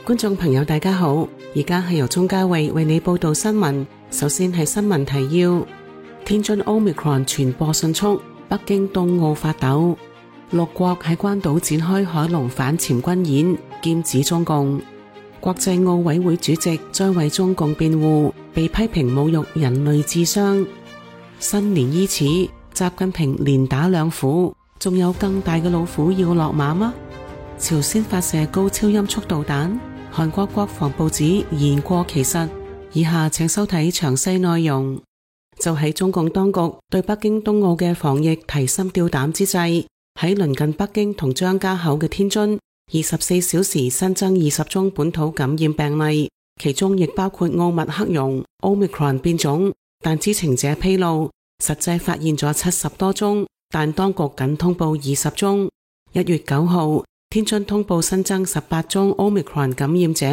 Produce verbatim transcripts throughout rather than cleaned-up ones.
觀眾朋友大家好，而家係由鍾嘉慧為你報道新聞。首先係新聞提要：天津 Omicron 傳播迅速，北京冬奧發抖，六國喺關島展開海龍反潛軍演，劍指中共。國際奧委會主席再為中共辯護，被批評侮辱人類智商。新年伊始，習近平連打兩虎，仲有更大嘅老虎要落馬嗎？朝鮮發射高超音速導彈，韓國國防部指言過其實。以下請收睇詳細內容。就喺中共當局對北京冬奧嘅防疫提心吊膽之際，喺鄰近北京同張家口嘅天津，二十四小時新增二十宗本土感染病例，其中亦包括奧密克戎 Omicron 變種。但知情者披露，實際發現咗七十多宗，但當局僅通報二十宗。一月九號，天津通報新增十八宗 Omicron 感染者，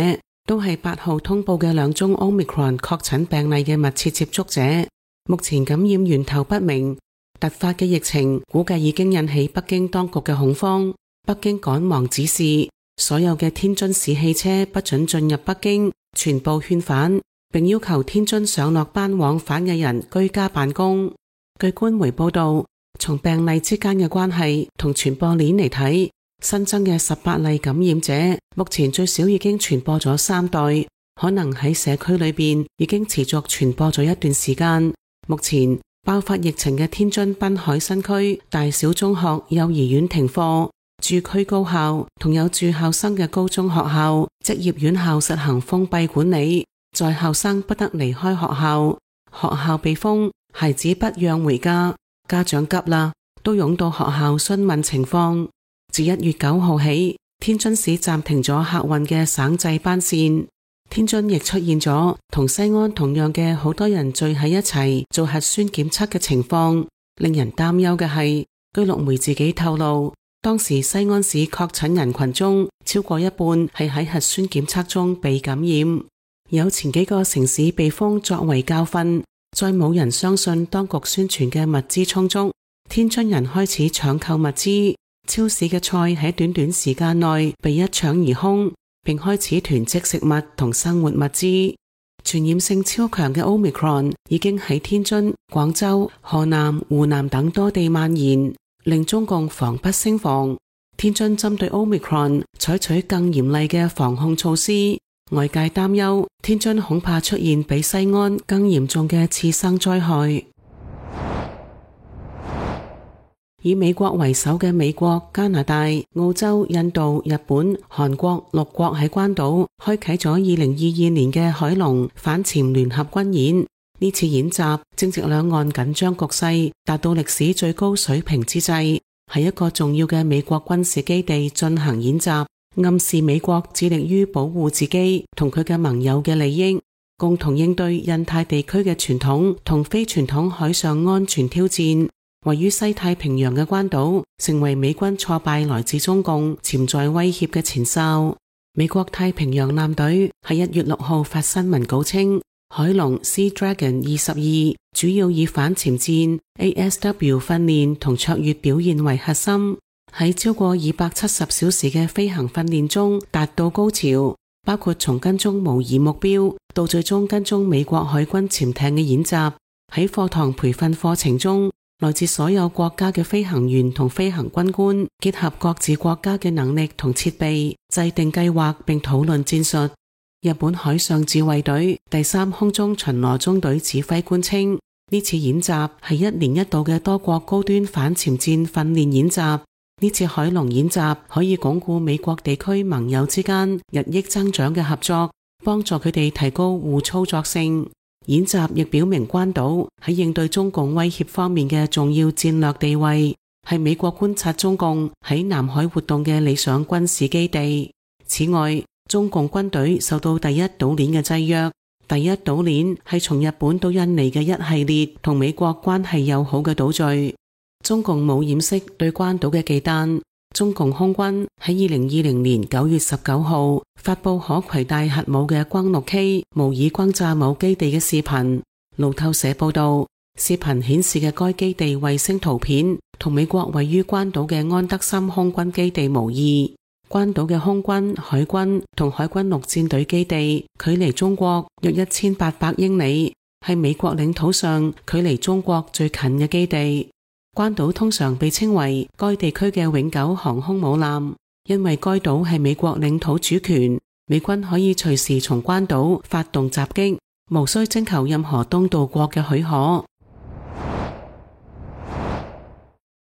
都係八號通報嘅兩宗 Omicron 確診病例嘅密切接觸者。目前感染源頭不明，突發嘅疫情估計已經引起北京當局嘅恐慌。北京趕忙指示所有嘅天津市汽車不准進入北京，全部勸返，並要求天津上落班往返嘅人居家辦公。據官媒報道，從病例之間嘅關係同傳播鏈嚟睇，新增嘅十八例感染者，目前最少已經傳播咗三代，可能喺社區裏邊已經持續傳播咗一段時間。目前爆發疫情嘅天津濱海新區大小中學、幼兒園停課，駐區高校同有住校生嘅高中學校、職業院校實行封閉管理，在校生不得離開學校，學校被封，孩子不讓回家，家長急啦，都湧到學校詢問情況。自一月九號起，天津市暫停咗客運嘅省際班線。天津亦出現咗同西安同樣嘅好多人聚喺一齊做核酸檢測嘅情況。令人擔憂嘅係，據陸媒自己透露，當時西安市確診人群中超過一半係喺核酸檢測中被感染。有前幾個城市被封作為教訓，再冇人相信當局宣傳嘅物資充足，天津人開始搶購物資，超市嘅菜喺短短時間內被一搶而空，並開始囤積食物同生活物資。傳染性超強嘅 Omicron 已經喺天津、廣州、河南、湖南等多地蔓延，令中共防不勝防。天津針對 Omicron 採取更嚴厲嘅防控措施，外界擔憂天津恐怕出現比西安更嚴重嘅次生災害。以美國為首嘅美國、加拿大、澳洲、印度、日本、韓國六國喺關島開啟咗二零二二年嘅海龍反潛聯合軍演。呢次演習正值兩岸緊張局勢達到歷史最高水平之際，喺一個重要嘅美國軍事基地進行演習，暗示美國致力於保護自己同佢嘅盟友嘅利益，共同應對印太地區嘅傳統同非傳統海上安全挑戰。位於西太平洋嘅關島成為美軍挫敗來自中共潛在威脅嘅前哨。美國太平洋艦隊喺一月六號發新聞稿稱，海龍 Sea Dragon 二十二主要以反潛戰 A S W 訓練同卓越表現為核心，喺超過二百七十小時嘅飛行訓練中達到高潮，包括從跟蹤模擬目標到最終跟蹤美國海軍潛艇嘅演習。喺課堂培訓課程中，來自所有國家嘅飛行員同飛行軍官結合各自國家嘅能力同設備，制定計劃並討論戰術。日本海上自衛隊第三空中巡邏中隊指揮官稱，呢次演習係一年一度嘅多國高端反潛戰訓練演習。呢次海龍演習可以鞏固美國地區盟友之間日益增長嘅合作，幫助佢哋提高互操作性。演習亦表明關島喺應對中共威脅方面嘅重要戰略地位，係美國觀察中共喺南海活動嘅理想軍事基地。此外，中共軍隊受到第一島鏈嘅制約。第一島鏈係從日本到印尼嘅一系列同美國關係友好嘅島嶼。中共冇掩飾對關島嘅忌憚。中共空軍喺二零二零年九月十九號發佈可攜帶核武嘅轟六 K 模擬轟炸某基地嘅視頻。路透社報道，視頻顯示嘅該基地衛星圖片同美國位於關島嘅安德森空軍基地無異。關島嘅空軍、海軍同海軍陸戰隊基地距離中國約一千八百英里，係美國領土上距離中國最近嘅基地。關島通常被稱為該地區嘅永久航空母艦，因為該島係美國領土主權，美軍可以隨時從關島發動襲擊，無需徵求任何東道國嘅許可。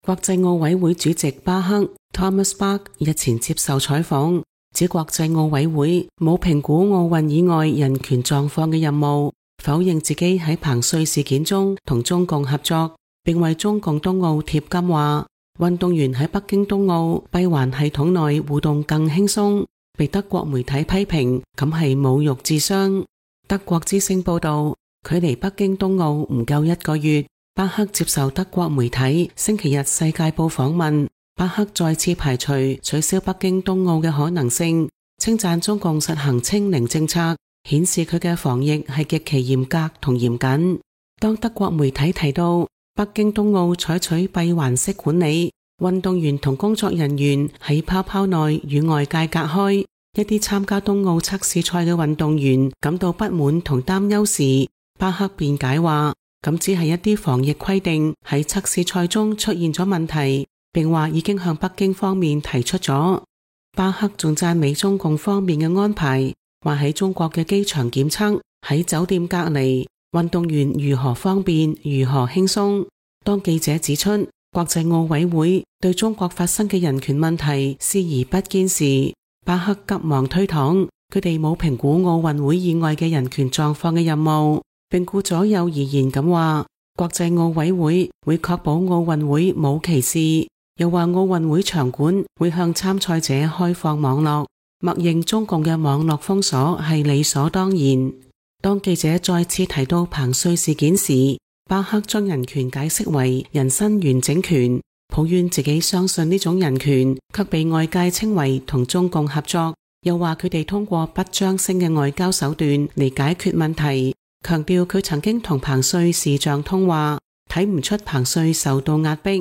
國際奧委會主席巴克 Thomas Bach 日前接受採訪，指國際奧委會冇評估奧運以外人權狀況嘅任務，否認自己喺彭帥事件中同中共合作，並為中共冬奧貼金話，運動員喺北京冬奧閉環系統內互動更輕鬆，被德國媒體批評咁係侮辱智商。德國之聲報道，距離北京冬奧唔夠一個月，巴克接受德國媒體星期日世界報訪問，巴克再次排除取消北京冬奧嘅可能性，稱讚中共實行清零政策，顯示佢嘅防疫係極其嚴格同嚴謹。當德國媒體提到北京冬奧採取閉環式管理，運動員同工作人員喺泡泡內與外界隔開，一啲參加冬奧測試賽嘅運動員感到不滿同擔憂時，巴克辯解話，咁只係一啲防疫規定喺測試賽中出現咗問題，並話已經向北京方面提出咗。巴克仲讚美中共方面嘅安排，話喺中國嘅機場檢測、喺酒店隔離，運動員如何方便、如何輕鬆。當記者指出國際奧委會對中國發生嘅人權問題視而不見時，巴克急忙推搪，佢哋冇評估奧運會以外嘅人權狀況嘅任務，並顧左右而言咁話，國際奧委會會確保奧運會冇歧視，又話奧運會場館會向參賽者開放網絡，默認中共嘅網絡封鎖係理所當然。當記者再次提到彭帥事件時，巴克將人權解釋為人身完整權，抱怨自己相信呢種人權，卻被外界稱為同中共合作，又話佢哋通過不張聲嘅外交手段嚟解決問題，強調佢曾經同彭帥視像通話，睇唔出彭帥受到壓迫。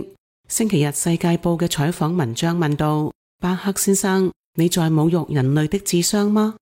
星期日世界報嘅採訪文章問道，巴克先生，你在侮辱人類的智商嗎？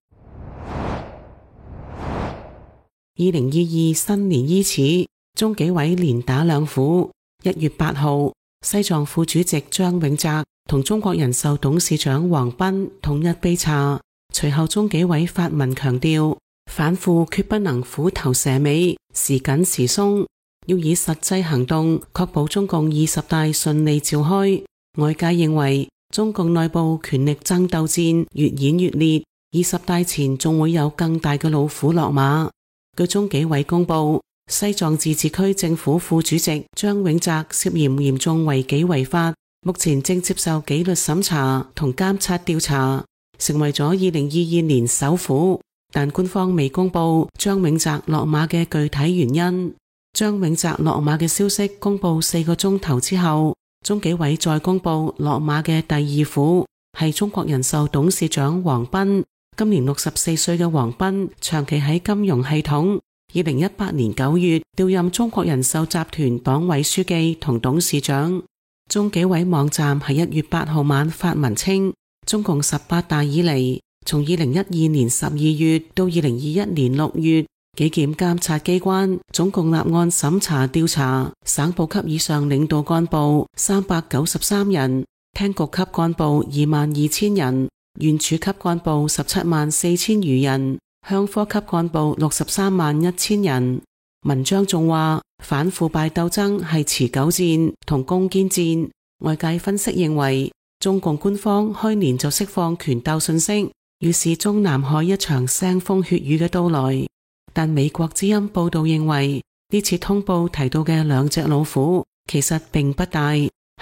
二零二二新年伊始，中紀委連打兩虎。一月八號，西藏副主席張永澤同中國人壽董事長黃斌統一杯茶。隨後中紀委發文強調，反腐決不能虎頭蛇尾，時緊時鬆，要以實際行動確保中共二十大順利召開。外界認為中共內部權力爭鬥戰越演越烈，二十大前仲會有更大嘅老虎落馬。據中紀委公布，西藏自治區政府副主席張永澤涉嫌嚴重違紀違法，目前正接受紀律審查同監察調查，成為咗二零二二年首虎。但官方未公布張永澤落馬嘅具體原因。張永澤落馬嘅消息公布四個鐘頭之後，中紀委再公布落馬嘅第二虎係中國人壽董事長黃斌。今年六十四歲嘅黃斌長期喺金融系統，二零一八年九月調任中國人壽集團黨委書記同董事長。中紀委網站喺一月八號晚發文稱，中共十八大以嚟，從二零一二年十二月到二零二一年六月，紀檢監察機關總共立案審查調查省部級以上領導幹部三百九十三人，廳局級幹部二萬二千人，縣處級幹部十七萬四千餘人，鄉科級幹部六十三萬一千人。文章仲話，反腐敗鬥爭係持久戰同攻堅戰。外界分析認為，中共官方開年就釋放權鬥信息，預示中南海一場腥風血雨嘅到來。但美國之音報道認為，呢次通報提到嘅兩隻老虎其實並不大，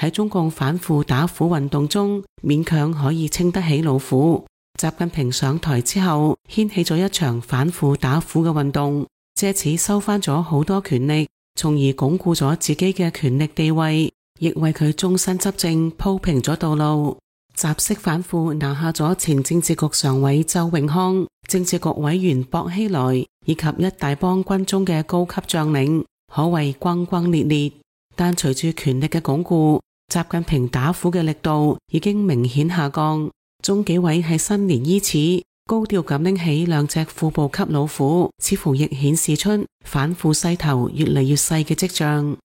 喺中共反腐打虎運動中勉強可以稱得起老虎。習近平上台之後，掀起咗一場反腐打虎嘅運動，借此收返咗好多權力，從而鞏固咗自己嘅權力地位，亦為佢終身執政鋪平咗道路。習式反腐拿下咗前政治局常委周永康、政治局委員薄熙來以及一大幫軍中嘅高級將領，可謂轟轟烈烈。但隨住權力嘅鞏固，習近平打虎嘅力度已經明顯下降。中紀委喺新年伊始高調咁拎起兩隻副部級老虎，似乎亦顯示出反腐勢頭越嚟越細嘅跡象。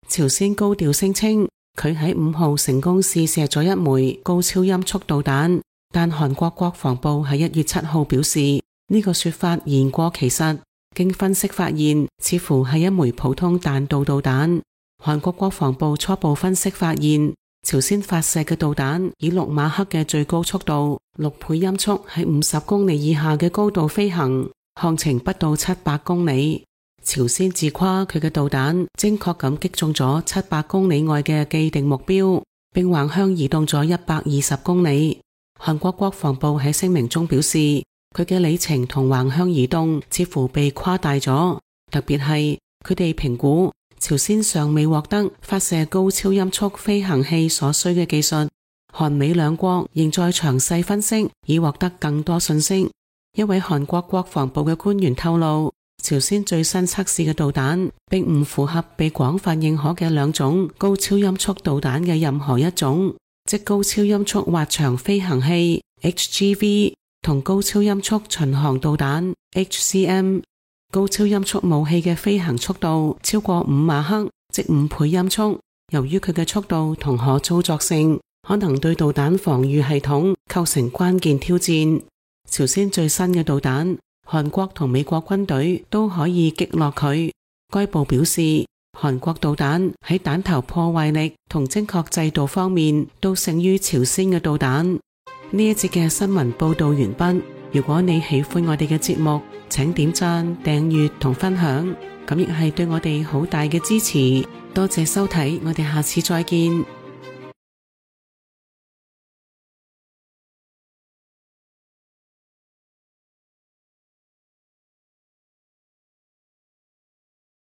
朝鮮高調聲稱佢喺五號成功試射咗一枚高超音速導彈，但韓國國防部喺一月七號表示呢個說法言過其實，經分析發現似乎係一枚普通彈道導彈。韓國國防部初步分析發現，朝鮮發射嘅導彈以六馬赫嘅最高速度，六倍音速喺五十公里以下嘅高度飛行，航程不到七百公里。朝鮮自誇佢嘅導彈精確咁擊中咗七百公里外嘅既定目標，並橫向移動咗一百二十公里。韓國國防部喺聲明中表示，佢嘅里程同橫向移動似乎被誇大咗，特別係佢哋評估朝鮮尚未獲得發射高超音速飛行器所需嘅技術，韓美兩國仍在詳細分析以獲得更多信息。一位韓國國防部嘅官員透露，朝鮮最新測試嘅導彈並唔符合被廣泛認可嘅兩種高超音速導彈嘅任何一種，即高超音速滑翔飛行器 H G V 同高超音速巡航導彈 H C M。高超音速武器嘅飛行速度超過五馬赫，即五倍音速。由於佢嘅速度同可操作性，可能對導彈防禦系統構成關鍵挑戰。朝鮮最新嘅導彈，韓國同美國軍隊都可以擊落佢。該部表示，韓國導彈喺彈頭破壞力同精確制度方面都勝於朝鮮嘅導彈。呢一節嘅新聞報道完畢。如果你喜歡我哋嘅節目，請點讚、訂閱同分享，咁亦係對我哋好大嘅支持。多謝收睇，我哋下次再見。